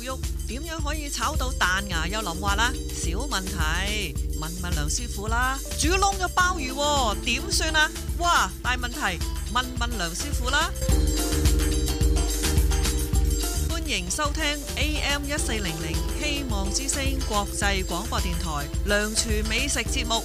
肉點樣可以炒到彈牙又腍滑啦？小問題，問梁師傅啦。煮燶咗鮑魚喎，點算啊？哇，大問題，問梁師傅啦。歡迎收聽 AM1400 希望之聲國際廣播電台梁廚美食節目。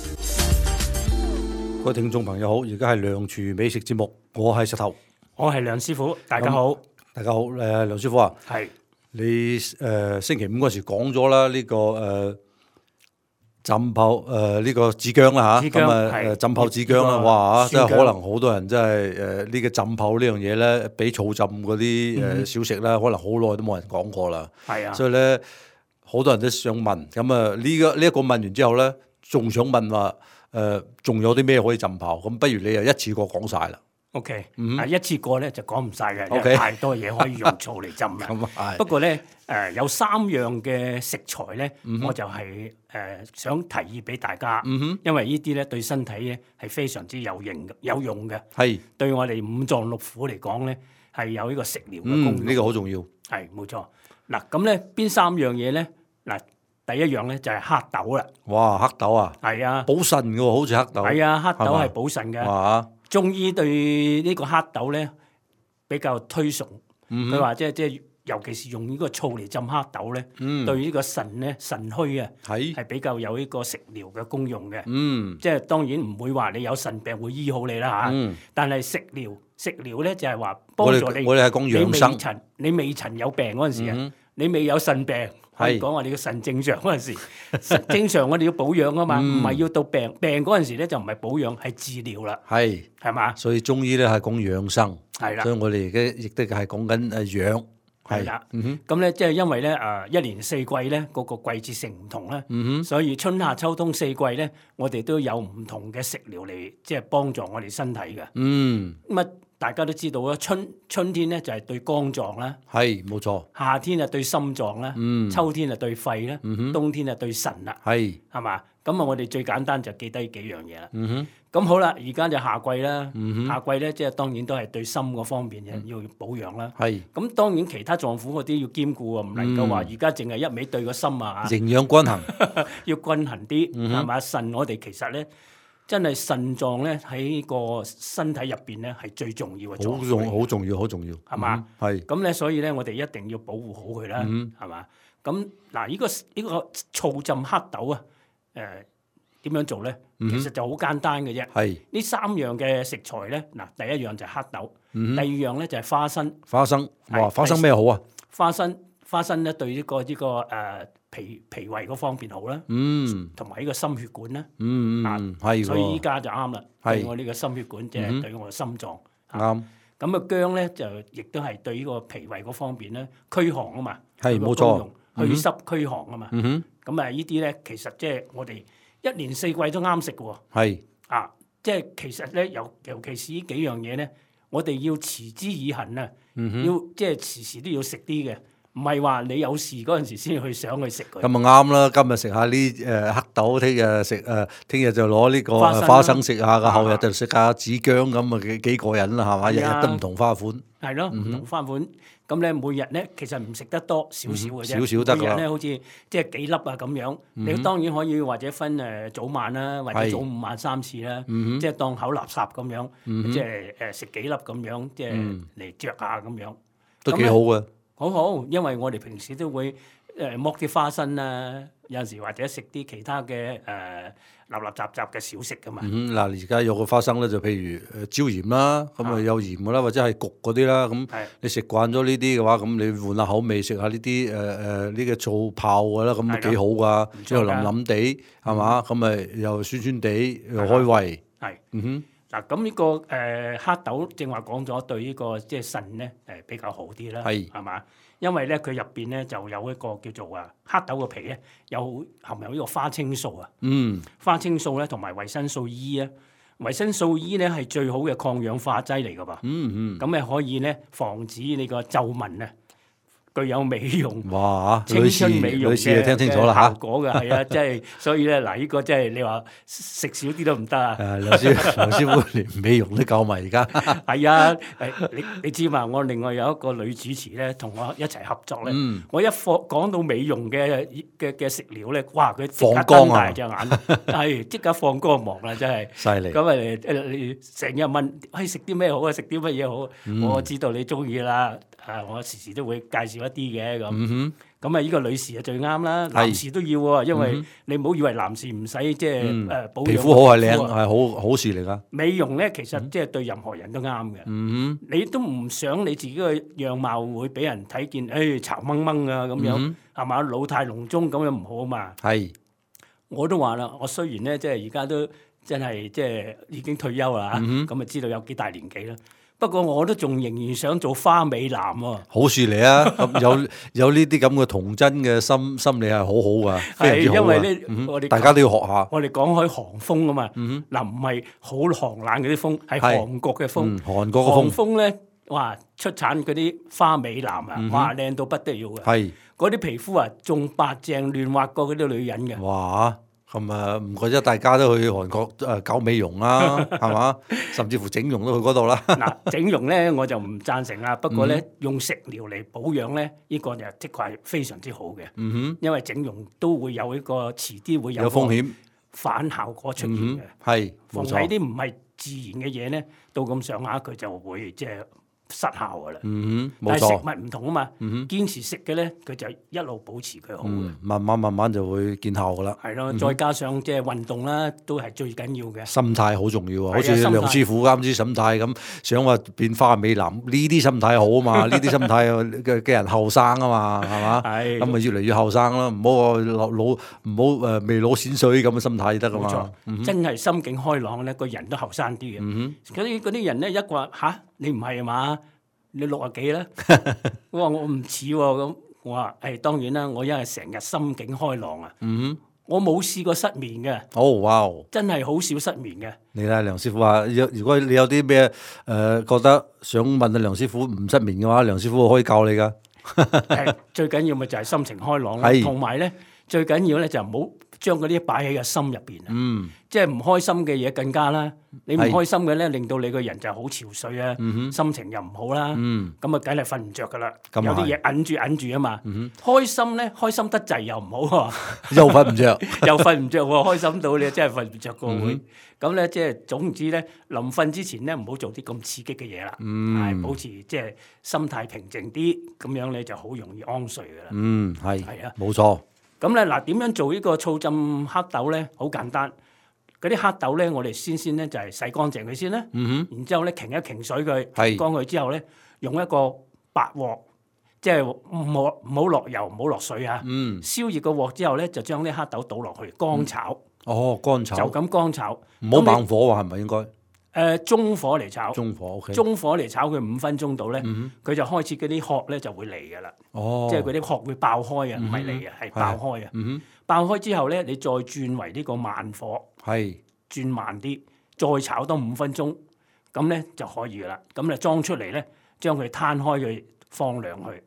各位聽眾朋友好，而家係梁廚美食節目，我係石頭，我係梁師傅，大家好。大家好，梁師傅啊，係你星期五嗰時講咗啦，呢個浸泡呢個子薑啦嚇，咁浸泡子薑啦，哇真係可能好多人真係呢個浸泡呢樣嘢咧，比醋浸嗰啲小食咧，可能好耐都冇人講過啦。係啊，所以咧好多人都想問，咁啊呢一個問完之後咧，仲想問話仲有啲咩可以浸泡？咁不如你又一次過講晒啦。OK，一次過咧就講唔晒嘅，因為太多嘢可以用醋嚟浸啦。不過咧有3樣嘅食材咧，我就係想提議俾大家，因為呢啲咧對身體咧係非常之有用嘅，係對我哋五臟六腑嚟講咧係有呢個食療嘅功用。呢個好重要。係冇錯。嗱咁咧邊3樣嘢咧？嗱第一樣咧就係黑豆啦。哇，黑豆啊！係啊，補腎嘅喎，好似黑豆。係啊，黑豆係補腎嘅。哇！中醫對呢個黑豆咧比較推崇，佢話即係尤其是用呢個醋嚟浸黑豆咧，對呢個腎咧腎虛啊係比較有呢個食療嘅功用嘅。即係當然唔會話你有腎病會醫好你啦嚇，但係食療咧就係話幫助你。我哋係講養生。你未曾有病嗰陣時啊，你未有腎病。可以講我哋嘅腎正常嗰陣時，正常我哋要保養啊嘛，唔係要到病嗰陣時咧就唔係保養，係治療啦。係嘛？所以中醫咧係講養生，係啦。所以我哋而家亦都係講緊養。係啦。咁咧即係因為咧一年四季咧嗰個季節性唔同咧，所以春夏秋冬四季咧，我哋都有唔同嘅食療嚟即係幫助我哋身體嘅。咁啊。大家都知道啦，春天咧就係對肝臟啦，係冇錯。夏天啊對心臟啦，秋天啊對肺啦，冬天啊對腎啦，係嘛？咁啊，我哋最簡單就記低幾樣嘢啦。咁好啦，而家就夏季啦，夏季咧即係當然都係對心嗰方面要保養啦。係咁，當然其他臟腑嗰啲要兼顧啊，唔能夠話而家淨係一味對個心啊。營養均衡，要均衡啲係嘛？腎我哋其實咧。真係腎臟咧喺個身體入邊咧係最重要嘅臟腑，好重要，好重要，係嘛？係咁咧，所以咧我哋一定要保護好佢啦，係嘛？咁嗱，呢個醋浸黑豆啊，點樣做咧？其實就好簡單嘅啫。係呢3樣嘅食材咧，嗱，第一樣就係黑豆，第二樣咧就係花生。花生，哇！花生咩好啊？花生咧對呢個脾胃嗰方面好啦，同埋呢個心血管啦，係，所以依家就啱啦，對我呢個心血管即係對我嘅心臟啱。咁啊薑咧就亦都係對呢個脾胃嗰方面咧驅寒啊嘛，係冇錯，祛濕驅寒啊嘛。咁啊呢啲咧其實即係我哋一年四季都啱食嘅喎。係啊，即係其實咧尤其是呢幾樣嘢咧，我哋要持之以恆啊，要即係時時都要食啲嘅。唔係話你有事嗰陣時先去想去食佢。咁啊啱啦，今日食下呢黑豆，聽日食聽日就攞呢個花生食下，後日就食下子薑咁啊幾過癮啦，係嘛？日日都唔同花款。係咯，唔同花款。咁咧每日咧其實唔食得多少少嘅啫。少少得㗎。每日咧好似即係幾粒啊咁樣。你當然可以或者分早晚啦，或者早午晚3次啦。即係當口垃圾咁樣，即係食幾粒咁樣，即係嚟嚼下咁樣。都幾好嘅。好，因為我哋平時都會剝啲花生啊，有陣時或者食啲其他嘅立雜嘅小食噶嘛。嗱，而家有個花生咧，就譬如椒鹽啦，咁啊有鹽噶啦，或者係焗嗰啲啦。咁你食慣咗呢啲嘅話，咁你換下口味，食下呢啲呢個醋泡嘅啦，咁都幾好噶，之後腍腍地係嘛，咁咪又酸酸地又開胃。係，嗱咁呢個黑豆正話講咗對呢個即係腎咧比較好啲啦，係嘛？因為咧佢入邊咧就有一個叫做黑豆嘅皮咧含有呢個花青素啊，花青素咧同埋維生素 E 啊，維生素 E 咧係最好嘅抗氧化劑嚟噶噃，咁可以咧防止你個皺紋啊，具有美容、哇！青春美容女士聽清楚啦嚇，效果嘅係啊，即係所以咧嗱，呢個即係你話食少啲都唔得啊！梁師傅連美容都夠埋而家。係啊，你知嘛？我另外有一個女主持咧，同我一齊合作咧，我一講到美容嘅食料咧，哇！佢即刻瞪大隻眼，係即刻放光芒啦，真係犀利。咁你成日問，食啲咩好啊？食啲乜嘢好？我知道你中意啦。我時時都會介紹一啲嘅咁。咁啊，呢個女士啊最啱啦，男士都要喎，因為你唔好以為男士唔使即係保養。皮膚好係靚係好事嚟㗎。美容咧其實即係對任何人都啱嘅。你都唔想你自己嘅樣貌會俾人睇見，誒巢掹掹啊咁樣，係嘛？老態龍鍾咁樣唔好啊嘛。係。我都話啦，我雖然咧即係而家都真係即係已經退休啦，咁啊知道有幾大年紀啦。不過我都仲仍然想做花美男喎。好事嚟啊！咁有呢啲咁嘅童真嘅心理係好好噶，非常之好啊！因為呢，我哋大家都要學下。我哋講開韓風啊嘛，嗱唔係好寒冷嗰啲風，係韓國嘅風。韓國嘅風咧，哇出產嗰啲花美男啊，哇靚到不得了嘅。係嗰啲皮膚啊，仲白淨嫩滑過嗰啲女人嘅。哇！咁啊，唔怪得大家都去韓國搞美容啦，係嘛？甚至乎整容都去嗰度啦。嗱，整容咧我就唔贊成啦。不過咧，用食療嚟保養咧，呢個就的確係非常之好嘅。因為整容都會有一個遲啲會有風險反效果出現嘅。係，冇錯。逢喺啲唔係自然嘅嘢咧，到咁上下佢就會即係失效噶啦，但係食物唔同啊嘛，堅持食嘅咧，佢就一路保持佢好嘅，慢慢就會見效噶啦。係咯，再加上即係運動啦，都係最緊要嘅。心態好重要啊，好似梁師傅啱先心態咁，想話變花美男，呢啲心態好啊嘛，呢啲心態嘅人後生啊嘛，係嘛？係咁咪越嚟越後生咯，唔好話老，唔好未老先水咁嘅心態得噶嘛。冇錯，真係心境開朗咧，個人都後生啲嘅。嗰啲人咧一話吓。你唔係嘛？你60幾啦？我話我唔似喎咁。我話當然啦，我因為成日心境開朗啊。我冇試過失眠嘅。哇！真係好少失眠嘅。你睇梁師傅話，如果你有啲咩覺得想問阿梁師傅唔失眠嘅話，梁師傅可以教你噶。最緊要咪就係心情開朗啦，同埋咧最緊要咧就唔好將嗰啲擺喺個心入邊啊。即係唔開心嘅嘢更加啦。你唔開心嘅咧，令到你個人就好憔悴啊，心情又唔好啦，咁啊，梗係瞓唔着噶啦。有啲嘢揞住啊嘛。開心咧，開心得滯又唔好喎，又瞓唔着，又瞓唔着喎。開心到你真係瞓唔着個會。咁咧，即係總之咧，臨瞓之前咧，唔好做啲咁刺激嘅嘢啦，係保持即係心態平靜啲，咁樣你就好容易安睡噶啦。係啊，冇錯。咁咧嗱，點樣做呢個醋浸黑豆咧？好簡單。嗰啲黑豆咧，我哋先咧就係洗乾淨佢先啦，然之後咧擎一擎水佢，乾佢之後咧，用一個白鑊，即係唔好落油，唔好落水啊。燒熱個鑊之後咧，就將啲黑豆倒落去乾炒。乾炒就咁乾炒，唔好猛火喎，係咪應該？中火嚟炒。中火 OK。中火嚟炒佢5分鐘度咧，佢就開始嗰啲殼咧就會嚟㗎啦。即係嗰啲殼會爆開啊，唔係嚟啊，係爆開啊。爆開之後咧，你再轉為呢個慢火，轉慢啲，再炒多5分鐘，咁咧就可以噶啦。咁咧裝出嚟咧，將佢攤開佢放涼去，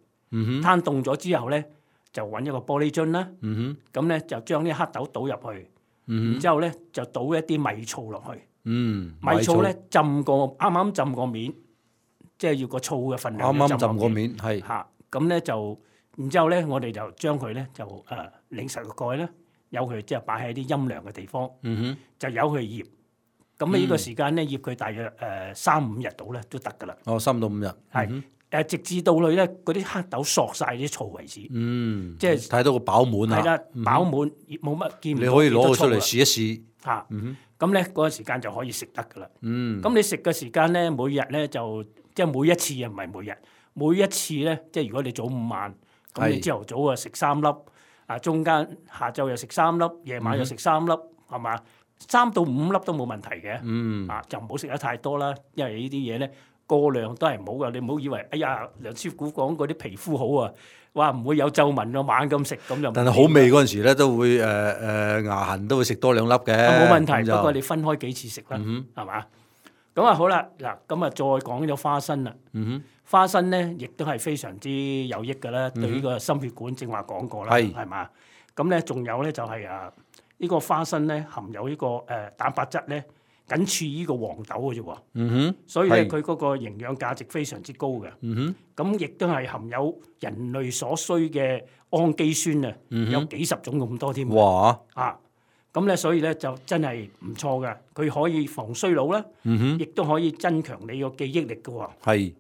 攤凍咗之後咧，就揾一個玻璃樽啦。咁咧就將啲黑豆倒入去，然之後咧就倒一啲米醋落去。米醋咧啱啱浸過面，即係要個醋嘅份量。啱啱浸過面，係嚇。咁咧就。然之後咧，我哋就將佢咧就擰實個蓋啦，由佢即係擺喺啲陰涼嘅地方，就由佢醃。咁呢個時間咧醃佢大約3-5日到咧都得㗎啦。3到5日。係直至到佢咧嗰啲黑豆索晒啲醋為止。即係睇到個飽滿啊。係啦，飽滿冇乜見唔到。你可以攞佢出嚟試一試。嚇。咁咧嗰個時間就可以食得㗎啦。咁你食嘅時間咧，每日咧就即係每一次啊，唔係每日。每一次咧，即係如果你早午晚。咁你朝頭早啊食3粒，中間下晝又食3粒，夜晚又食3粒，係嘛？3到5粒都冇問題嘅。就唔好食得太多啦，因為呢啲嘢咧過量都係唔好噶。你唔好以為，哎呀，梁師傅講嗰啲皮膚好啊，哇唔會有皺紋啊，猛咁食咁就。但係好味嗰陣時咧，都會牙痕都會食多2粒嘅。冇問題，不過你分開幾次食啦，係嘛？咁啊好啦，嗱咁啊再講咗花生啦。花生咧亦都係非常之有益嘅啦，對呢個心血管正話講過啦，係嘛？咁咧仲有咧就係呢個花生咧含有呢個蛋白質咧，僅次於呢個黃豆嘅啫喎。所以咧佢嗰個營養價值非常之高嘅。咁亦都係含有人類所需嘅氨基酸啊，有幾十種咁多添。哇！咁咧所以咧就真係唔錯嘅，佢可以防衰老啦，亦都可以增強你個記憶力嘅喎。係。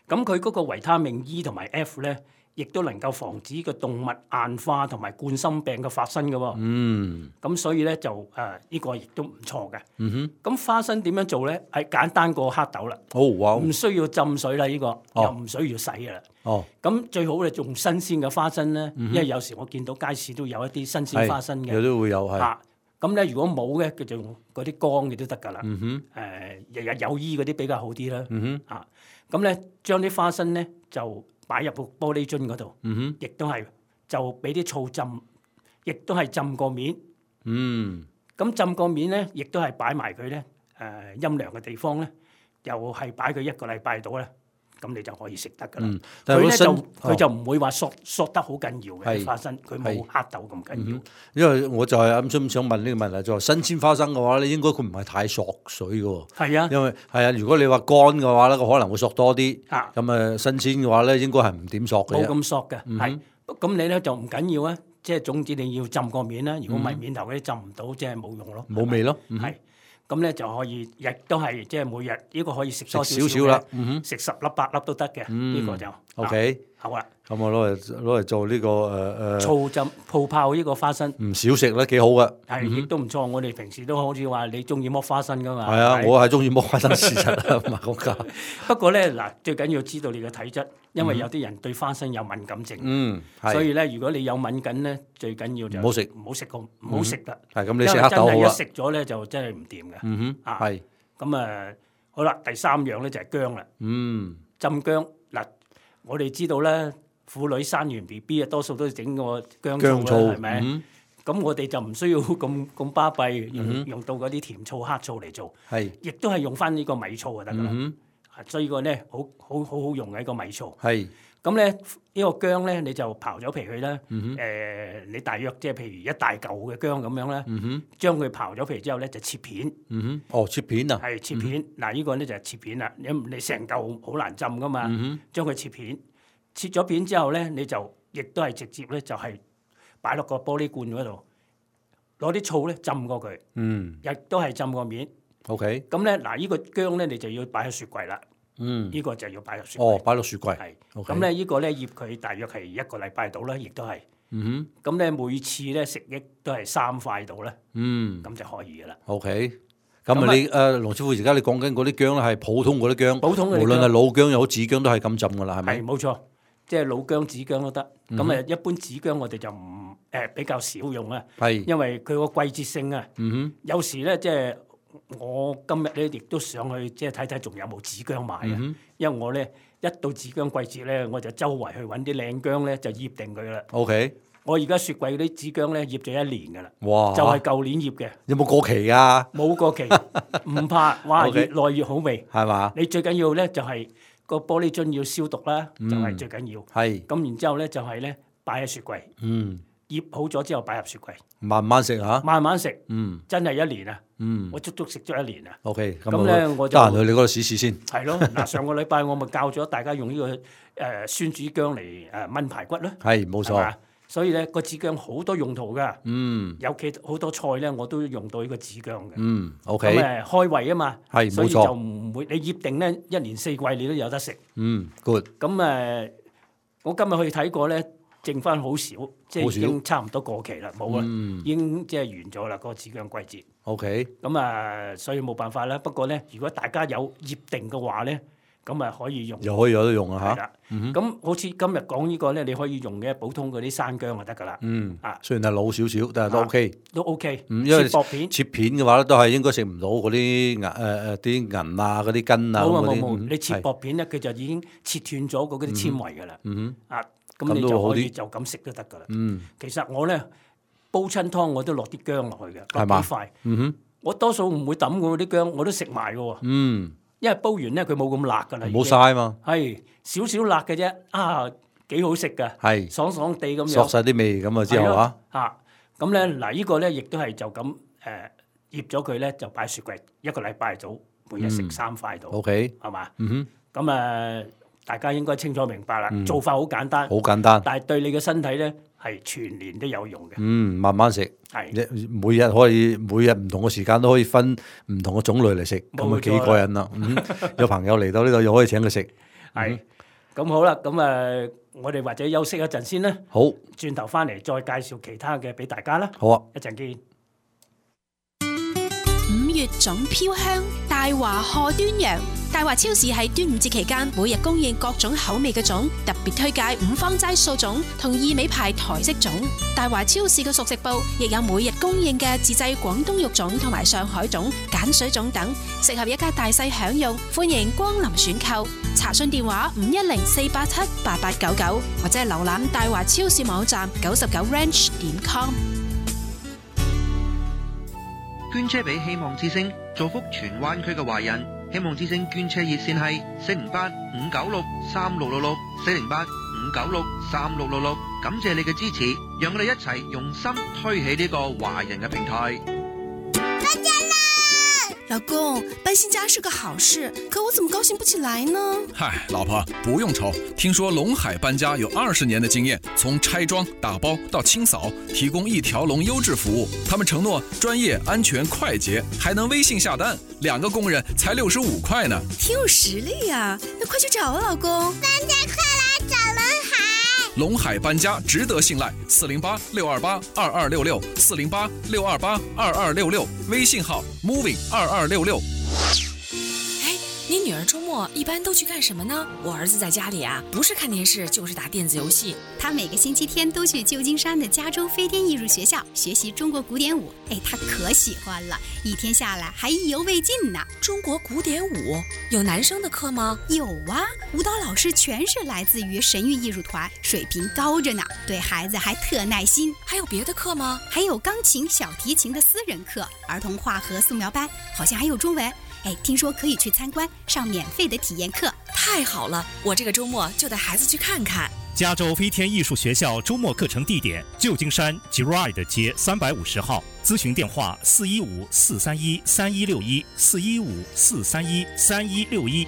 咁佢嗰個維他命 E 同埋 F 咧，亦都能夠防止個動脈硬化同埋冠心病嘅發生嘅喎。咁所以咧就呢個亦都唔錯嘅。咁花生點樣做咧？係簡單過黑豆啦。唔需要浸水啦，呢個又唔需要洗嘅啦。咁最好咧用新鮮嘅花生咧，因為有時我見到街市都有一啲新鮮花生嘅。有都會有係。咁咧如果冇嘅，佢就用嗰啲乾嘅都得㗎啦。日日有衣嗰啲比較好啲啦。咁咧將啲花生咧就擺入個玻璃樽嗰度，亦都係就俾啲醋浸，亦都係浸個面。咁浸個面咧，亦都係擺埋佢咧陰涼嘅地方咧，又係擺佢1個禮拜度咧，咁你就可以食得㗎啦。佢就唔會話索得好緊要嘅花生，佢冇黑豆咁緊要。因為我就係啱想問呢個問題，就係新鮮花生嘅話咧，應該佢唔係太索水嘅喎。係啊，因為係啊，如果你話乾嘅話咧，佢可能會索多啲。咁新鮮嘅話咧，應該係唔點索嘅。冇咁索嘅，係。咁你咧就唔緊要啊，即係總之你要浸個面啦。如果唔係面頭嗰啲浸唔到，即係冇用咯。冇味咯。係。咁咧就可以，亦都係即係每日呢個可以食多少少啦，食10粒8粒都得嘅，呢個就 OK。好啦，咁我攞嚟做呢個醋浸泡泡呢個花生，唔少食咧，幾好噶。係，亦都唔錯。我哋平時都好似話你中意剝花生噶嘛。係啊，我係中意剝花生事實啊，唔係講假。不過咧嗱，最緊要知道你嘅體質，因為有啲人對花生有敏感症。所以咧，如果你有敏感咧，最緊要就唔好食啦。係咁，你食黑豆好啦。因為真係一食咗咧，就真係唔掂嘅。係。咁好啦，第3樣咧就係薑啦。浸薑嗱。我哋知道咧，婦女生完 BB 啊，多數都整個薑醋啦，係咪？咁我哋就唔需要咁巴閉，用到嗰啲甜醋、黑醋嚟做，亦都係用翻呢個米醋就得噶啦。所以個咧好用嘅一個米醋。咁咧呢個薑咧，你就刨咗皮去啦。你大約即係譬如1大嚿嘅薑咁樣啦，將佢刨咗皮之後咧就切片。切片啊？係切片。嗱，呢個咧就係切片啦。你成嚿好難浸噶嘛，將佢切片。切咗片之後咧，你就亦都係直接咧就係擺落個玻璃罐嗰度，攞啲醋咧浸過佢。亦都係浸個面。OK。咁咧嗱，呢個薑咧你就要擺喺雪櫃啦。呢個就要擺入雪櫃。擺落雪櫃。係。咁咧呢個咧醃佢大約係1個禮拜到啦，亦都係。咁咧每次咧食益都係3塊到啦。咁就可以噶啦。OK。咁你龍師傅，而家你講緊嗰啲薑咧係普通嗰啲薑，無論係老薑又好紫薑都係咁浸噶啦，係咪？係冇錯，即係老薑、紫薑都得。咁一般紫薑我哋就唔比較少用啊。係。因為佢個季節性啊。有時咧即係我今日咧亦都上去即係睇睇仲有冇紫薑賣啊。因為我咧一到紫薑季節咧，我就周圍去揾啲靚薑咧就醃定佢啦。OK。我而家雪櫃嗰啲紫薑咧醃咗1年㗎啦。哇！就係舊年醃嘅。有冇過期啊？冇過期，唔怕。哇！越耐越好味。係嘛？你最緊要咧就係個玻璃樽要消毒啦，就係最緊要。係。咁然之後咧就係咧擺喺雪櫃。醃好咗之後擺入雪櫃。慢慢食嚇。慢慢食。真係1年啊！我足足食咗1年啊。OK。咁咧我就得閒去你嗰度試試先。係咯，嗱上個禮拜我咪教咗大家用呢個酸子薑嚟燜排骨咯。係，冇錯。所以咧個紫薑好多用途噶，尤其好多菜咧我都用到呢個紫薑嘅。OK。咁開胃啊嘛，係冇錯。所以就唔會你醃定咧1年4季你都有得食。good。咁我今日去睇過咧，剩翻好少，即係已經差唔多過期啦，冇啦，已經即係完咗啦個紫薑季節。OK。咁所以冇辦法啦。不過咧，如果大家有醃定嘅話咧，咁可以用，又可以有得用啊嚇！咁好似今日講呢個咧，你可以用嘅普通嗰啲山薑就得噶啦。雖然係老少少，但係都 OK。都 OK。因為切片嘅話咧，都係應該食唔到嗰啲啲銀啊、嗰啲根啊嗰啲。冇，你切薄片咧，佢就已經切斷咗嗰啲纖維噶啦。咁你就可以就咁食都得噶啦。其實我咧煲親湯我都落啲薑落去嘅，落幾塊。我多數唔會抌嘅啲薑，我都食埋嘅喎。因為煲完咧佢冇咁辣㗎啦。冇嘥嘛。係少少辣嘅啫，幾好食㗎。係爽爽地咁樣。索晒啲味咁啊之後咁咧嗱，呢個咧亦都係就咁醃咗佢咧，就擺雪櫃1個禮拜到，每日食3塊到。OK， 係嘛？咁大家應該清楚明白啦。做法好簡單，但係對你嘅身體咧係全年都有用嘅。慢慢食，每日唔同嘅時間都可以分唔同嘅種類嚟食，咁啊幾過癮啦！有朋友嚟到呢度又可以請佢食。係，咁好啦，咁我哋或者休息一陣先啦。好，轉頭翻嚟再介紹其他嘅俾大家啦。好啊，一陣見。5月總飄香，大華賀端陽。大華超市喺端午節期間每日供應各種口味嘅粽，特別推介五芳齋素粽同意美牌台式粽。大華超市嘅熟食部亦有每日供應嘅自製廣東肉粽同埋上海粽、鹼水粽等，適合一家大細享用。歡迎光臨選購，查詢電話510-487-8899或者係瀏覽大華超市網站99ranch.com。捐車俾希望之星，造福荃灣區嘅華人。希望之星捐車熱線係408-596-3666 408-596-3666。感謝你嘅支持，讓我哋一齊用心推起呢個華人嘅平台。老公，搬新家是個好事，可我怎麼高興不起來呢？嗨，老婆不用愁，聽說龍海搬家有20年的經驗，從拆裝、打包到清掃，提供一條龍優質服務。他們承諾專業、安全、快捷，還能微信下單，2個工人才65塊呢。挺有實力呀，那快去找啊，老公！大家快來找龍海！龍海搬家值得信賴，408-628-2266 408-628-2266，微信號 moving2266。你女兒周末一般都去幹什麼呢？我兒子在家裡啊，不是看電視就是打電子遊戲。他每個星期天都去舊金山的加州飛天藝術學校學習中國古典舞，他可喜歡了，一天下來還意猶未盡呢。中國古典舞有男生的課嗎？有啊，舞蹈老師全是來自於神韻藝術團，水平高着呢，對孩子還特耐心。還有別的課嗎？還有鋼琴、小提琴的私人課，兒童畫和素描班，好像還有中文。聽說可以去參觀，上免費的體驗課。太好了，我這個周末就帶孩子去看看。加州飛天藝術學校周末課程地點：舊金山 Girard 街350號。諮詢電話415-431-3161 415-431-3161。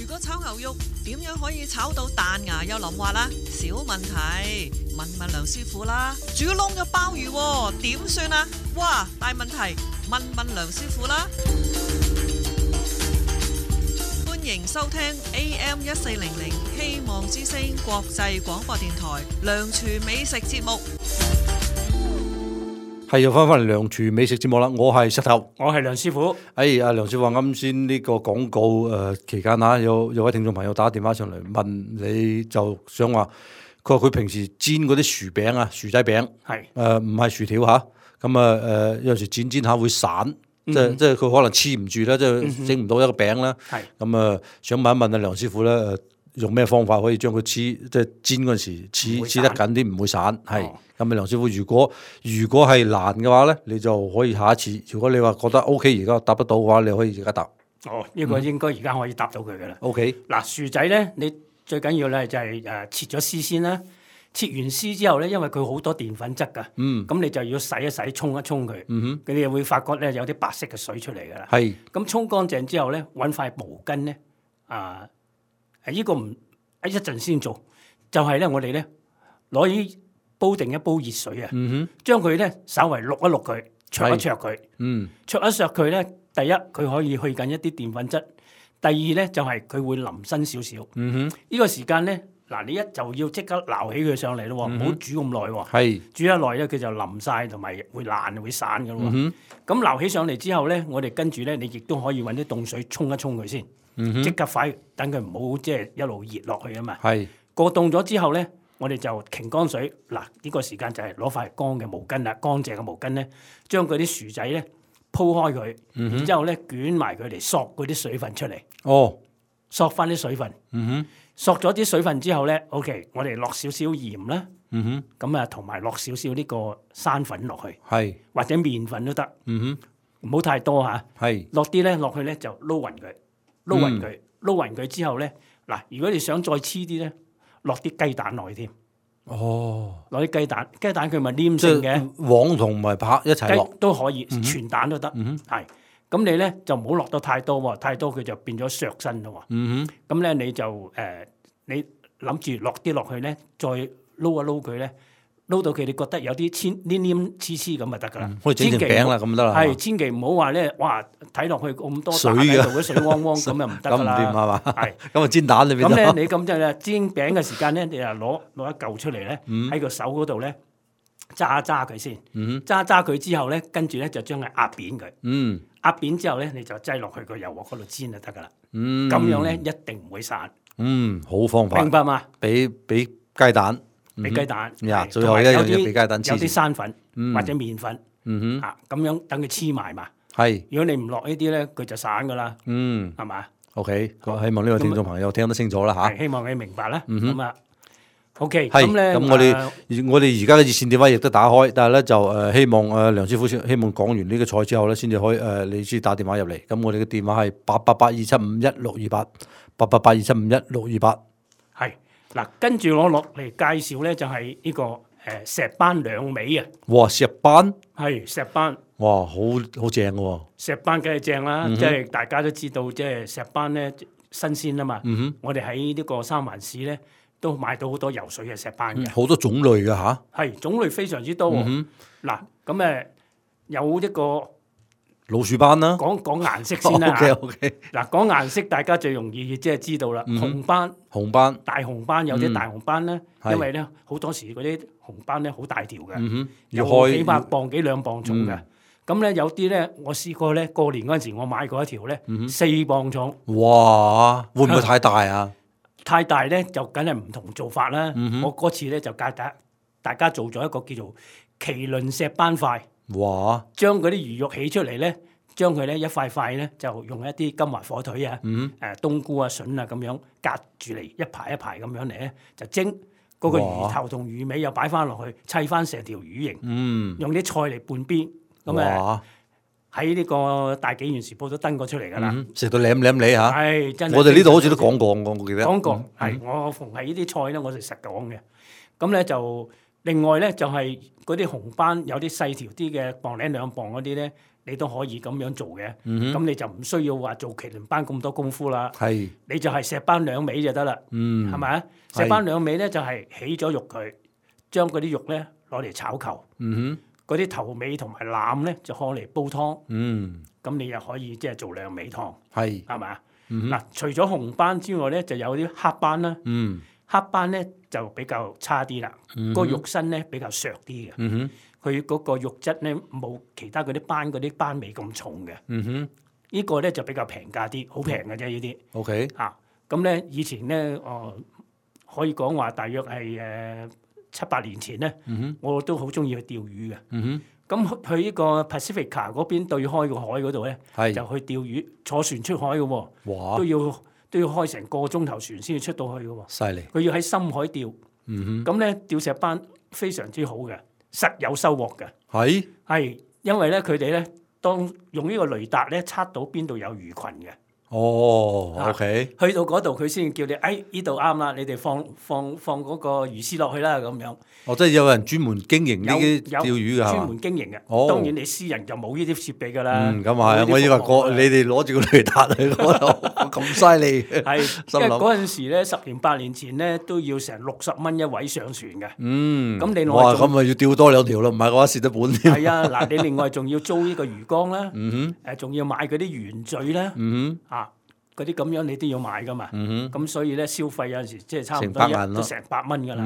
如果炒牛肉點樣可以炒到彈牙又腍滑啦？小問題，問梁師傅啦。煮窿咗鮑魚點算啊？哇，大問題，問梁師傅啦。歡迎收聽 AM1400 希望之聲國際廣播電台梁廚美食節目。係又翻嚟梁廚美食節目啦，我係石頭，我係梁師傅。阿梁師傅話啱先呢個廣告期間啊，有位聽眾朋友打電話上嚟問你，就想話佢話佢平時煎嗰啲薯餅啊、薯仔餅，係唔係薯條嚇，咁有時煎下會散，即係佢可能黐唔住啦，即係整唔到一個餅啦。係咁想問一問梁師傅咧，用咩方法可以將佢即係煎嗰陣時黐得緊啲，唔會散？係咁梁師傅，如果係難嘅話咧，你就可以下一次。如果你話覺得 OK， 而家答得到嘅話，你可以而家答。呢個應該而家可以答到佢噶啦。OK， 嗱，薯仔咧，你最緊要咧就係切咗絲先啦。切完絲之後咧，因為佢好多澱粉質㗎，咁你就要洗一洗、沖一沖佢，你又會發覺咧有啲白色嘅水出嚟㗎啦。係，咁沖乾淨之後咧，揾塊毛巾咧，呢個唔一陣先做，就係咧我哋咧攞啲煲定一煲熱水啊，將佢咧稍微碌一碌佢，灼一灼佢，灼一灼佢咧，第一佢可以去緊一啲澱粉質，第二咧就係佢會腍身少少。呢個時間咧。嗱，你一就要即刻撈起佢上嚟咯，唔好煮咁耐喎。係煮一耐咧，佢就腍晒同埋會爛會散嘅咯。咁撈起上嚟之後咧，我哋跟住咧，你亦都可以揾啲凍水沖一沖佢先，即刻快，等佢唔好即係一路熱落去啊嘛。係過凍咗之後咧，我哋就擎乾水。嗱，呢個時間就係攞塊乾嘅毛巾啦，乾淨嘅毛巾咧，將嗰啲薯仔咧鋪開佢，然之後咧捲埋佢嚟索嗰啲水分出嚟。哦，索翻啲水分。索咗啲水分之後咧 ，OK， 我哋落少少鹽啦，咁啊同埋落少少呢個生粉落去，係或者麵粉都得，唔好太多嚇。係落啲咧落去咧就撈勻佢，撈勻佢之後咧，嗱，如果你想再黐啲咧，落啲雞蛋落去添。攞啲雞蛋佢咪黏性嘅，黃同埋白一齊落都可以，全蛋都得。係咁你咧就唔好落得太多喎，太多佢就變咗削身咯喎。咁咧你就你諗住落啲落去咧，再撈一撈佢咧，撈到佢你覺得有啲黏黏黐黐咁就得噶啦。可以整成餅啦，咁得啦。係千祈唔好話咧，哇睇落去咁多水喺度，啲水汪汪咁又唔得噶啦。咁唔掂係嘛？係咁啊煎蛋裏邊。咁咧你咁即係煎餅嘅時間咧，你就攞一嚿出嚟咧，喺個手嗰度咧揸佢先，揸佢之後咧，跟住咧就將佢壓扁佢。壓扁之後咧，你就擠落去個油鑊嗰度煎就得噶啦。咁樣咧一定唔會散。好方法。明白嘛？俾雞蛋。俾雞蛋，最後一樣嘢俾雞蛋黐，有啲生粉或者麵粉，咁樣等佢黐埋嘛。係，如果你唔落呢啲咧，佢就散噶啦。係嘛 ？OK，希望呢個聽眾朋友聽得清楚啦嚇。希望你明白啦。咁啊，OK，係。咁咧，咁我哋而家嘅熱線電話亦都打開，但係咧就希望梁師傅希望講完呢個菜之後咧，先至可以你先打電話入嚟。咁我哋嘅電話係888-275-1628，888-275-1628。係。嗱，跟住我落嚟介紹咧，就係呢個石斑兩味啊！哇，石斑係石斑，哇，好正喎！石斑梗係正啦，即係大家都知道，即係石斑咧新鮮啊嘛。我哋喺呢個三藩市咧都買到好多游水嘅石斑嘅，好多種類嘅嚇。係種類非常之多。嗱，咁有一個老鼠斑啦，講顏色先啦。OK。嗱，講顏色大家最容易即係知道啦。紅斑、大紅斑有啲大紅斑咧，因為咧好多時嗰啲紅斑咧好大條嘅，有幾百磅、幾兩磅重嘅。咁咧有啲咧，我試過咧過年嗰陣時，我買過一條咧4磅重。哇！會唔會太大啊？太大咧就梗係唔同做法啦。我嗰次咧就教大家做咗一個叫做麒麟石斑塊。哇！將嗰啲魚肉起出嚟咧，將佢咧一塊塊咧就用一啲金華火腿啊、冬菇啊、筍啊咁樣隔住嚟一排一排咁樣嚟咧就蒸。嗰個魚頭同魚尾又擺翻落去，砌翻成條魚形。用啲菜嚟半邊。咁喺呢個大紀元時報都登過出嚟㗎啦。食到舐你嚇。係真係。我哋呢度好似都講過，我記得。講過係我逢係呢啲菜咧，我哋實講嘅。咁咧就。另外咧就係嗰啲紅斑有啲細條啲嘅磅零兩磅嗰啲咧，你都可以咁樣做嘅。咁你就唔需要話做麒麟斑咁多功夫啦。係，你就係石斑兩味就得啦。係咪啊？石斑兩味咧就係起咗肉佢，將嗰啲肉咧攞嚟炒球。嗰啲頭尾同埋腩咧就攞嚟煲湯。咁你又可以即係做兩味湯。係咪啊？嗱，除咗紅斑之外咧，就有啲黑斑啦。黑斑咧就比較差啲啦，個肉身咧比較削啲嘅，佢嗰個肉質咧冇其他嗰啲斑味咁重嘅。呢個咧就比較平價啲，好平嘅啫呢啲。OK 咁咧以前咧可以講話大約係7-8年前咧，我都好中意去釣魚嘅。咁去呢個 Pacifica 嗰邊對開個海嗰度咧，就去釣魚，坐船出海嘅喎，都要開成個鐘頭船先至出到去嘅喎，犀利！佢要喺深海釣，咁咧釣石斑非常之好嘅，實有收穫嘅。係因為咧佢哋咧當用呢個雷達咧測到邊度有魚群嘅。OK。去到嗰度佢先叫你，呢度啱啦，你哋放嗰個魚絲落去啦咁樣。即係有人專門經營呢啲釣魚㗎，專門經營嘅。當然你私人就冇呢啲設備㗎啦。咁啊，我以為你哋攞住個雷達去嗰度咁犀利。係，因為嗰陣時咧10年8年前咧都要成60蚊一位上船嘅。咁另外咁咪要釣多2條咯，唔係嘅話蝕得本添。係啊，嗱，你另外仲要租呢個魚缸啦，仲要買嗰啲圓嘴啦，嗰啲咁樣你都要買噶嘛，咁所以咧消費有陣時即係差唔多都成100蚊噶啦，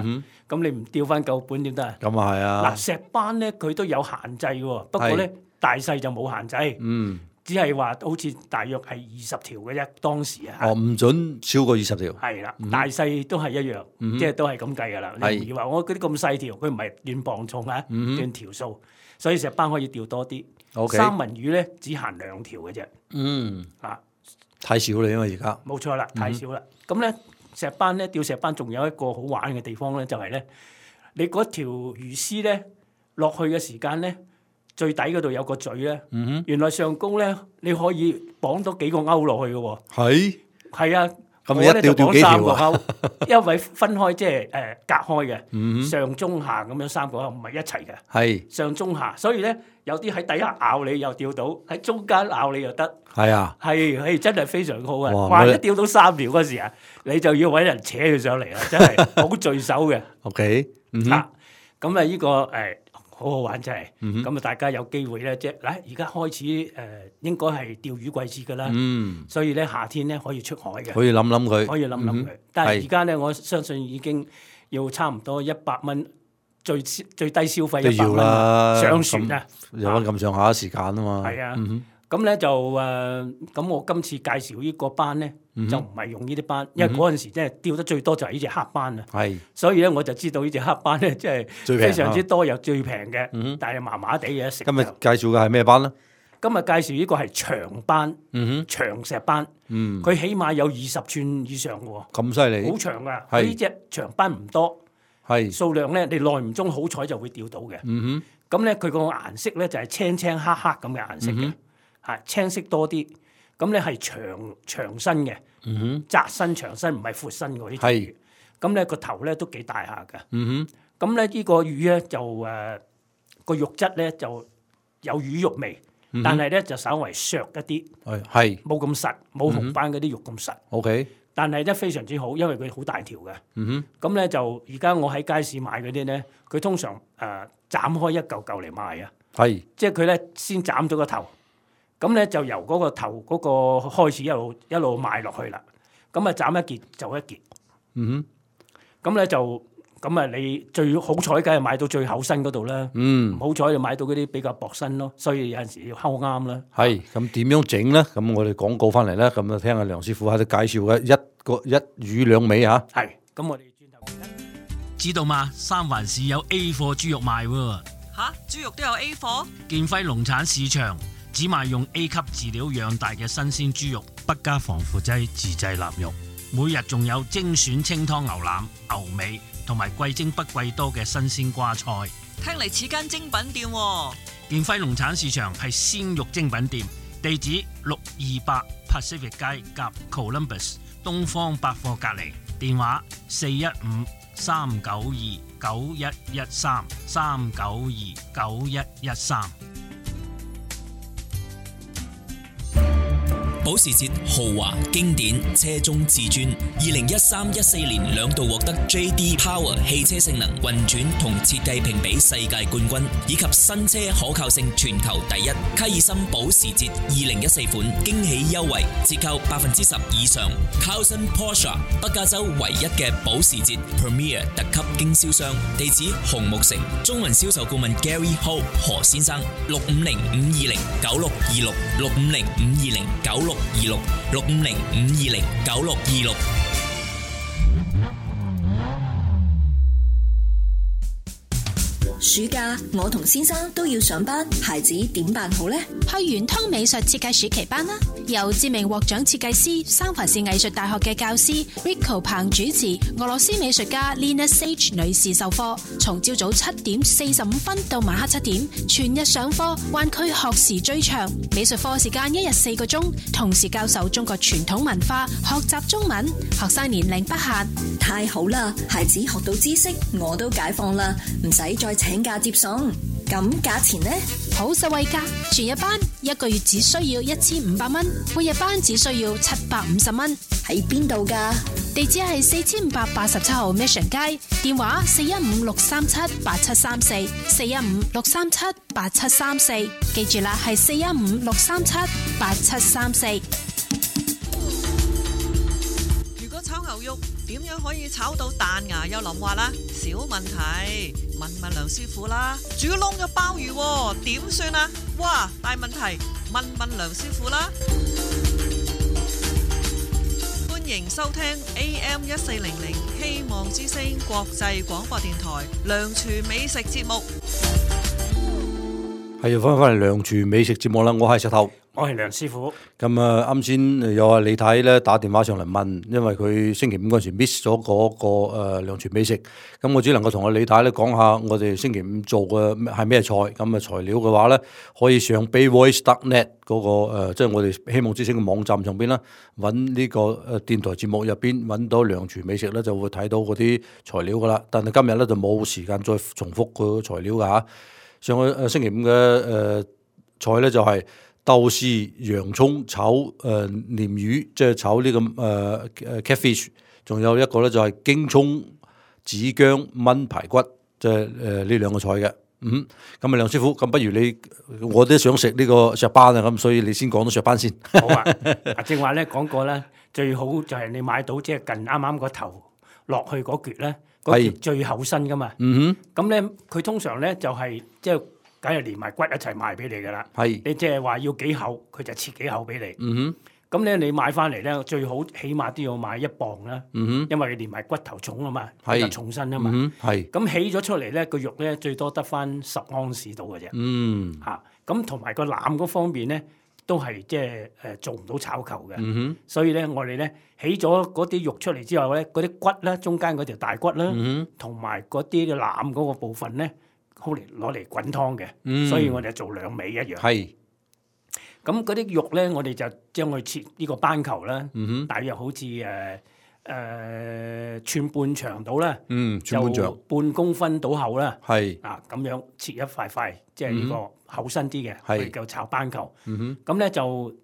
咁你唔釣翻夠本點得啊？咁啊係啊！嗱，石斑咧佢都有限制喎，不過咧大細就冇限制，只係話好似大約係20條嘅啫，當時啊。唔準超過20條。係啦，大細都係一樣，即係都係咁計噶啦。你唔要話我嗰啲咁細條，佢唔係斷磅重啊，斷條數，所以石斑可以釣多啲。三文魚咧只限2條嘅啫。太少啦，因為而家冇錯啦，太少啦。咁咧石斑咧釣石斑仲有一個好玩嘅地方咧，就係咧你嗰條魚絲咧落去嘅時間咧，最底嗰度有個嘴咧，原來上高咧你可以綁多幾個鈎落去嘅喎。係啊。咁你一吊幾條啊？因為分開即係隔開嘅，上中下咁樣3個鈎唔係一齊嘅。係上中下，所以咧有啲喺底下咬你又吊到，喺中間咬你又得。係啊，係真係非常好啊！哇！一吊到3條嗰時啊，你就要揾人扯佢上嚟啦，真係好聚手嘅。OK， 咁啊呢個好好玩真係，咁啊大家有機會咧，即係嗱，而家開始應該係釣魚季節噶啦，所以咧夏天咧可以出海嘅，可以諗諗佢，佢。但係而家咧，我相信已經要差唔多100蚊最低消費100蚊啦，上船啊，有翻咁上下時間啊嘛。係啊，咁咧就咁我今次介紹呢個班咧，就唔係用呢啲班，因為嗰陣時即係釣得最多就係呢隻黑班啊。係，所以咧我就知道呢隻黑班咧，即係非常之多又最平嘅，但係麻麻地嘅食。今日介紹嘅係咩班咧？今日介紹呢個係長班，長石班，佢起碼有20寸以上喎。咁犀利，好長噶。佢呢隻長班唔多，數量咧你耐唔中好彩就會釣到嘅。咁咧佢個顏色咧就係青青黑黑咁嘅顏色嘅。係青色多啲，咁咧係長身嘅，窄身長身，唔係闊身嗰啲魚。咁咧個頭咧都幾大下㗎。咁咧呢個魚咧就個肉質咧就有魚肉味，但係咧就稍為削一啲，冇咁實，冇紅斑嗰啲肉咁實。OK， 但係咧非常之好，因為佢好大條嘅。咁咧就而家我喺街市買嗰啲咧，佢通常斬開一嚿嚿嚟賣啊。即係佢咧先斬咗個頭。咁咧就由嗰個頭嗰個開始一路賣落去啦。咁啊斬一截就一截。咁咧就咁啊，你最好彩梗係買到最厚身嗰度啦。唔好彩就買到嗰啲比較薄身咯。所以有陣時要睺啱啦。係咁點樣整咧？咁我哋廣告翻嚟咧，咁啊聽下梁師傅喺度介紹嘅一魚兩尾嚇。係。咁我哋轉頭知道嘛？三藩市有 A 貨豬肉賣喎。嚇，豬肉都有 A 貨？建輝農產市場。只賣用 A 級飼料養大嘅新鮮豬肉，不加防腐劑自製臘肉。每日仲有精選清湯牛腩、牛尾同埋貴精不貴多嘅新鮮瓜菜。聽嚟似間精品店喎。建輝農產市場係鮮肉精品店，地址628 Pacific 街夾 Columbus 東方百貨隔離，電話415-392-9113 392-9113。保時捷豪華經典車中至尊，2013-14年2度獲得 J.D. Power 汽車性能運轉同設計評比世界冠軍，以及新車可靠性全球第一。卡爾森保時捷2014款驚喜優惠，折扣10%以上。Carlson Porsche 北加州唯一嘅保時捷 Premier 特級經銷商，地址紅木城，中文銷售顧問 Gary Ho 何先生，650-520-9626 650-520-9626 650-520-9626。暑假我同先生都要上班，孩子點辦好呢？去圓通美術設計暑期班啦，由知名獲獎設計師三藩市藝術大學嘅教師 Rico 彭主持，俄羅斯美術家 Lina Sage 女士授課，從朝早7點45分到晚黑7點，全日上課，灣區學時最長，美術課時間1日4個鐘，同時教授中國傳統文化，學習中文，學生年齡不限。太好啦，孩子學到知識，我都解放啦，唔使再請假接送。咁價錢呢？好實惠㗎，全日班1個月只需要1500蚊，半日班只需要750蚊。喺邊度㗎？地址係4587號 Mission 街，電話415-637-8734 415-637-8734，記住啦，係415-637-8734。如果炒牛肉點樣可以炒到彈牙又腍滑啦？小問題，問梁師傅啦。煮燶嘅鮑魚點算啊？哇，大問題，問梁師傅啦。歡迎收聽 AM1400 希望之聲國際廣播電台梁廚美食節目。係要翻嚟梁廚美食節目啦，我係石頭。我係梁師傅。咁啊，啱先有李太咧打電話上嚟問，因為佢星期五嗰陣時 miss 咗嗰個梁廚美食，咁我只能夠同阿李太咧講下我哋星期五做嘅係咩菜。咁啊材料嘅話咧，可以上 bayvoice.net 嗰個即係我哋希望之星嘅網站上邊啦，揾呢個電台節目入邊揾到梁廚美食咧，就會睇到嗰啲材料噶啦。但係今日咧就冇時間再重複個材料噶嚇。上個星期五嘅菜咧就係豆豉、洋葱炒鯰魚，即係炒呢個catfish， 仲有一個咧就係京葱子薑炆排骨，即係呢兩個菜嘅。咁啊，梁師傅，咁不如你我都想食呢個石斑啊，咁所以你先講到石斑先。好啊，正話咧講過咧，最好就係你買到即係近啱啱個頭落去嗰橛咧，嗰橛最厚身噶嘛。咁咧佢通常咧就係即係。梗係連埋骨一齊賣俾你㗎啦，你即係話要幾厚，佢就切幾厚俾你。咁咧你買翻嚟咧，最好起碼都要買1磅啦，因為連埋骨頭重啊嘛，比較重身啊嘛。咁起咗出嚟咧，個肉咧最多得翻10盎司到嘅啫。咁同埋個腩嗰方面咧，都係即係做唔到炒球嘅。所以咧，我哋咧起咗嗰啲肉出嚟之後咧，嗰啲骨咧，中間嗰條大骨啦，同埋嗰啲嘅腩嗰個部分咧。好嚟攞嚟滾湯嘅，所以我哋做2味一樣。咁嗰啲肉咧，我哋就將佢切呢個斑球啦，大約好似寸半長到啦，就半公分到厚啦。咁樣切一塊塊，即係呢個厚身啲嘅，佢叫炒斑球。咁咧就，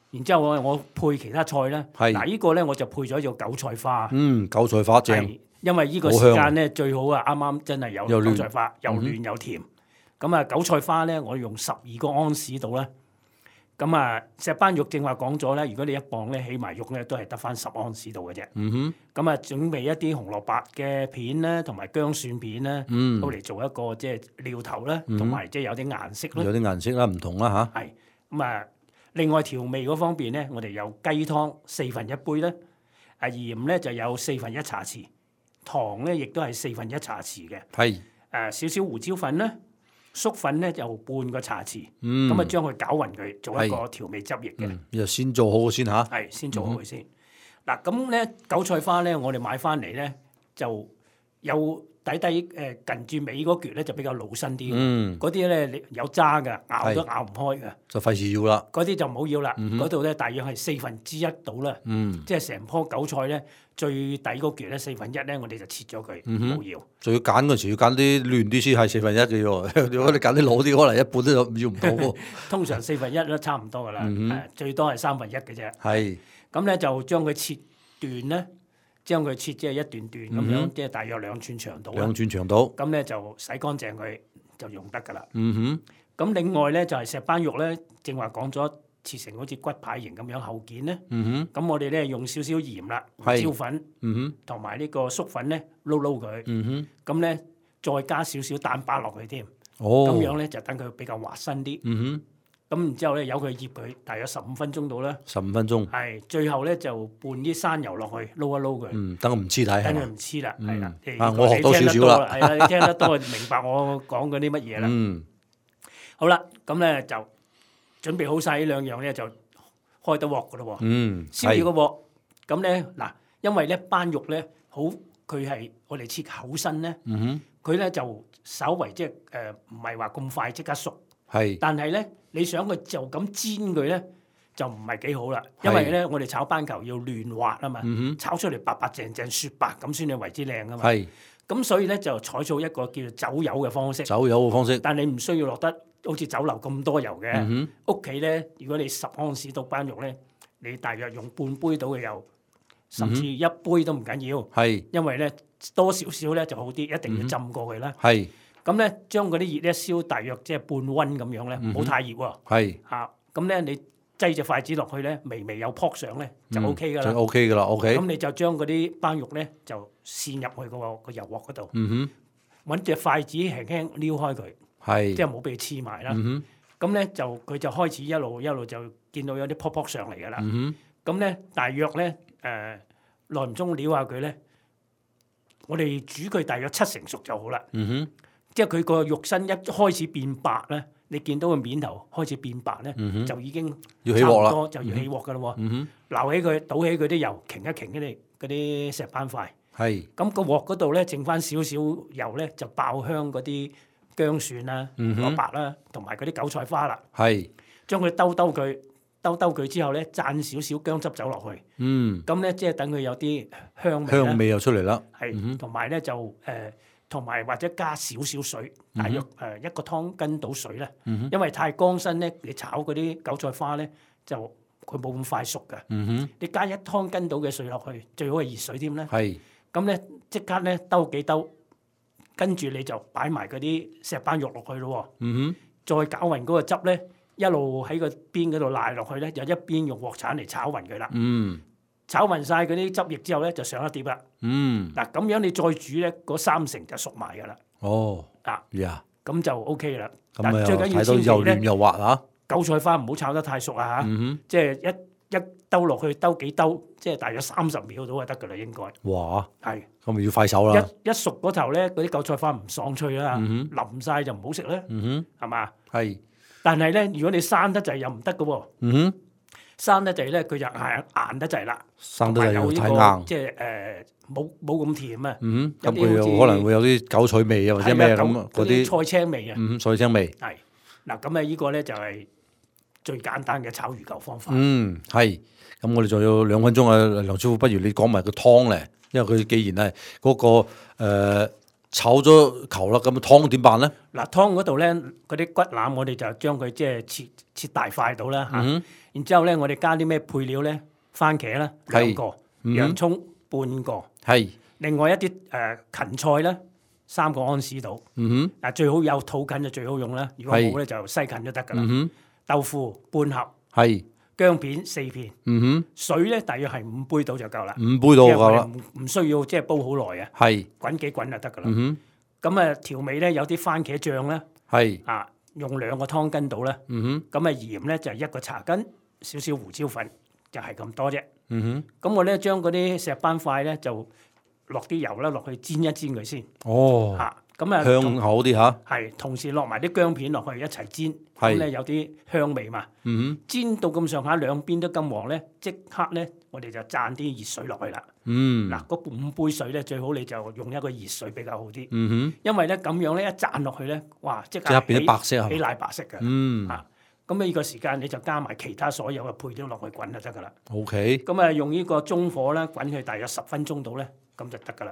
然之後我配其他菜啦。嗱，呢個咧我就配咗隻韭菜花。韭菜花正。因為呢個時間咧最好啊，啱啱真係有韭菜花，又嫩又甜。咁啊，韭菜花咧，我用12個盎司度啦。咁啊，石斑肉正話講咗咧，如果你1磅咧起埋肉咧，都係得翻10盎司度嘅啫。咁啊，準備一啲紅蘿蔔嘅片啦，同埋薑蒜片啦，都嚟做一個即係料頭啦，同埋即係有啲顏色啦。有啲顏色啦，唔同啦嚇。係咁啊，另外調味嗰方面咧，我哋有雞湯1/4杯啦，鹽咧就有1/4茶匙。糖咧亦都係1/4茶匙嘅，少少胡椒粉啦，粟粉咧就半個茶匙，咁啊將佢攪勻佢，做一個調味汁液嘅。又先做好先嚇，先做好佢先。嗱咁咧韭菜花咧，我哋買翻嚟咧就有底近住尾嗰橛咧就比較老身啲，嗰啲咧有渣嘅，咬都咬唔開嘅，就費事要啦。嗰啲就唔好要啦，嗰度咧大約係1/4到啦，即係成棵韭菜咧。最底嗰橛咧1/4咧，我哋就切咗佢，冇要。仲要揀嗰時要揀啲嫩啲先係1/4嘅喎。如果你揀啲老啲，可能一半都要唔到喎。通常1/4都差唔多噶啦，最多係1/3嘅啫。咁咧就將佢切段咧，將佢切即係一段段咁樣，即係大約2寸長度。2寸長度。咁咧就洗乾淨佢就用得噶啦。咁另外咧就係石斑肉咧，正話講咗。切成好似骨牌形咁樣厚件咧，咁我哋咧用少少鹽啦、胡椒粉，同埋呢個粟粉咧撈佢，咁咧再加少少蛋白落去添，咁樣咧就等佢比較滑身啲。咁然之後咧由佢醃佢大約15分鐘到啦。15分鐘。係最後咧就拌啲山油落去撈一撈佢。等佢唔黐底。等佢唔黐啦，係啦。我學多少少啦。係啦，你聽得多明白我講嗰啲乜嘢啦。好啦，咁咧就。準備好晒呢2樣咧，就開得鑊噶咯喎。燒住個鑊，咁咧嗱，因為咧斑肉咧好，佢係我哋切厚身咧，佢咧就稍為即係唔係話咁快即刻熟。但係咧你想佢就咁煎佢咧，就唔係幾好啦。因為咧我哋炒斑球要嫩滑啊嘛，炒出嚟白白淨淨雪白咁先至為之靚啊嘛。咁所以咧就採取一個叫做走油嘅方式。走油嘅方式。但你唔需要落得。好似酒樓咁多油嘅，屋企咧，如果你10盎司到斑肉咧，你大約用半杯到嘅油，甚至1杯都唔緊要。因為咧多少少咧就好啲，一定要浸過佢啦。咁咧將嗰啲熱咧燒大約即係半溫咁樣咧，唔好太熱喎。咁咧你擠隻筷子落去咧，微微有撲上咧就 O K 噶啦。就 O K 噶啦 ，O K。咁你就將嗰啲斑肉咧就跣入去個油鑊嗰度，揾隻筷子輕輕撩開佢。即係冇俾佢黐埋啦，咁咧就佢就開始一路就見到有啲撲撲上嚟㗎啦。咁咧大約咧耐唔中撩下佢咧，我哋煮佢大約70%熟就好啦。即係佢個肉身一開始變白咧，你見到個面頭開始變白咧，就已經要起鑊啦，就要起鑊噶咯喎。撈起佢，倒起佢啲油，擎一擎嗰啲石斑塊。係。咁個鑊嗰度咧，剩翻少少油咧，就爆香嗰啲薑蒜啦、蘿蔔啦，同埋嗰啲韭菜花啦。係。將佢兜佢之後咧，灒少少薑汁走落去。咁咧即係等佢有啲香味又出嚟啦。係。同埋咧就同埋或者加少少水，大約一個湯羹到水咧。因為太乾身咧，你炒嗰啲韭菜花咧就佢冇咁快熟㗎。你加一湯羹到嘅水落去，最好係熱水添咧。係。咁咧即刻咧兜幾兜，跟住你就擺埋嗰啲石斑肉落去咯。再攪勻嗰個汁咧，一路喺個邊嗰度賴落去咧，就一邊用鑊鏟嚟炒勻佢啦。炒勻晒嗰啲汁液之後咧，就上一碟啦。嗱咁樣你再煮咧，嗰三成就熟埋噶啦。咁就 OK 啦。咁最緊要睇到又嫩又滑啊！韭菜花唔好炒得太熟啊嚇，即係一兜落去兜幾兜，即係大約30秒到就得噶啦，應該。哇！係。咁咪要快手啦。一熟嗰頭咧，嗰啲韭菜花唔爽脆啦，腍晒就唔好食啦，係嘛？係。但係咧，如果你生得滯又唔得噶喎。生得滯咧，佢就硬得滯啦。生得滯又太硬。即係冇咁甜啊。咁佢又可能會有啲韭菜味啊，或者咩咁嗰啲菜青味啊。菜青味。係。嗱咁啊，呢個咧就係最簡單嘅炒魚球方法。係。咁我哋仲有2分鐘啊，梁師傅，不如你講埋個湯咧，因為佢既然係嗰個炒咗球啦，咁湯點辦咧？嗱，湯嗰度咧，嗰啲骨腩我哋就將佢即係切大塊到啦嚇。然之後咧，我哋加啲咩配料咧？番茄啦2個，洋葱半個，係。另外一啲芹菜咧3個安士度。嗱，最好有土芹就最好用啦。如果冇咧就西芹都得噶啦。豆腐半盒。係。薑片4片，水咧大約係5杯到就夠啦。5杯到夠啦，唔需要即係煲好耐啊。係滾幾滾就得噶啦。咁啊調味咧有啲番茄醬咧，係啊用2個湯羹到啦。咁啊鹽咧就係1個茶羹，少少胡椒粉就係咁多啫。咁我咧將嗰啲石斑塊咧就落啲油啦，落去煎一煎佢先。咁啊香口啲嚇，係同時落埋啲薑片落去一齊煎，咁咧有啲香味嘛。煎到咁上下兩邊都金黃咧，即刻咧我哋就灒啲熱水落去啦。嗱，嗰5杯水咧最好你就用一個熱水比較好啲。因為咧咁樣咧一灒落去咧，哇！即刻變咗白色，起奶白色嘅。咁呢個時間你就加埋其他所有嘅配料落去滾就得噶啦。OK。咁啊用呢個中火啦，滾佢大約10分鐘到咧，咁就得噶啦。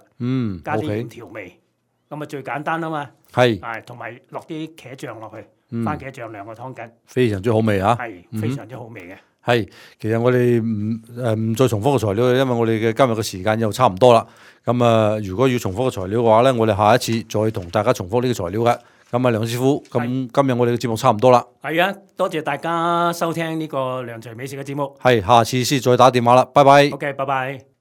加啲鹽調味。咁啊最簡單啊嘛，係同埋落啲茄醬落去，番茄醬2個湯羹，非常之好味嚇，係非常之好味嘅。係，其實我哋唔再重複個材料，因為我哋嘅今日嘅時間又差唔多啦。咁啊，如果要重複個材料嘅話咧，我哋下一次再同大家重複呢個材料嘅。咁啊，梁師傅，咁今日我哋嘅節目差唔多啦。係啊，多謝大家收聽呢個梁徐美食嘅節目。係，下次先再打電話啦，拜拜。OK，拜拜。